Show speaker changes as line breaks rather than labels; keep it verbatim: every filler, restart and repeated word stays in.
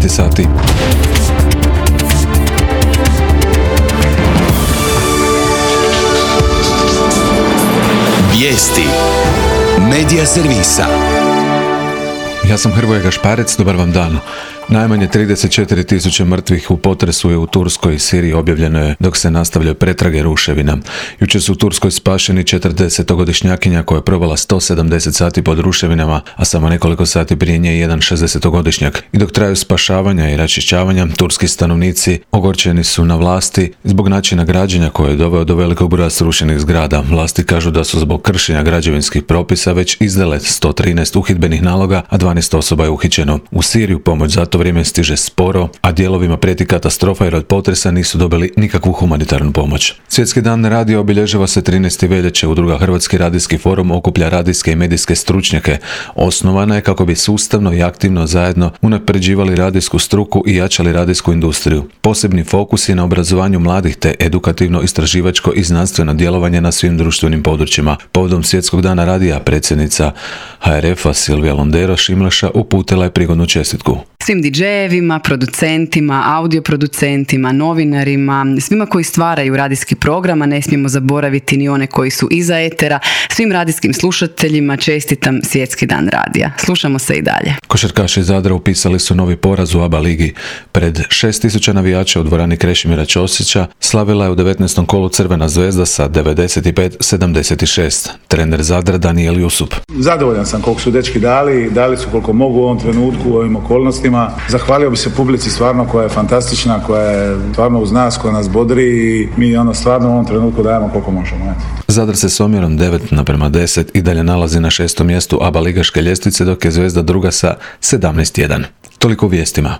dvanaest sati.
Vijesti Medija servisa.
Ja sam Hrvoje Gašparec, dobar vam dan. Najmanje trideset četiri tisuće mrtvih u potresu je u Turskoj i Siriji objavljeno je dok se nastavljaju pretrage ruševina. Jučer su u Turskoj spašeni četrdesetogodišnjakinja koja je provela sto sedamdeset sati pod ruševinama, a samo nekoliko sati prije nje jedan šezdesetogodišnjak. I dok traju spašavanja i raščišćavanja, turski stanovnici ogorčeni su na vlasti zbog načina građenja koje je doveo do velikog broja srušenih zgrada. Vlasti kažu da su zbog kršenja građevinskih propisa već izdale sto trinaest uhidbenih naloga, a dvanaest osoba je uhićeno. U Siriju pomoć za to vrijeme stiže sporo, a dijelovima prijeti katastrofa jer od potresa nisu dobili nikakvu humanitarnu pomoć. Svjetski dan radija obilježava se trinaestog veljače. Udruga Hrvatski radijski forum okuplja radijske i medijske stručnjake. Osnovana je kako bi sustavno i aktivno zajedno unapređivali radijsku struku i jačali radijsku industriju. Posebni fokus je na obrazovanju mladih te edukativno, istraživačko i znanstveno djelovanje na svim društvenim područjima. Povodom Svjetskog dana radija predsjednica H R F-a Silvija Londero Šimleša uputila je prigodnu čestitku
svim didžejevima, producentima, audioproducentima, novinarima, svima koji stvaraju radijski program, a ne smijemo zaboraviti ni one koji su iza etera. Svim radijskim slušateljima čestitam Svjetski dan radija. Slušamo se i dalje.
Košarkaši iz Zadra upisali su novi poraz u A B A ligi. Pred šest tisuća navijača u dvorani Krešimira Ćosića slavila je u devetnaestom kolu Crvena zvezda sa devedeset pet sedamdeset šest. Trener Zadra Daniel Jusup.
Zadovoljan sam koliko su dečki dali, dali su koliko mogu u ovom trenutku, u ovim okolnostima. Zahvalio bi se publici stvarno koja je fantastična, koja je stvarno uz nas, koja nas bodri i mi ono stvarno u ovom trenutku dajemo koliko možemo.
Zadar se s omjerom devet naprema deset i dalje nalazi na šestom mjestu A B A ligaške ljestvice, dok je Zvezda druga sa sedamnaest jedan. Toliko u vijestima.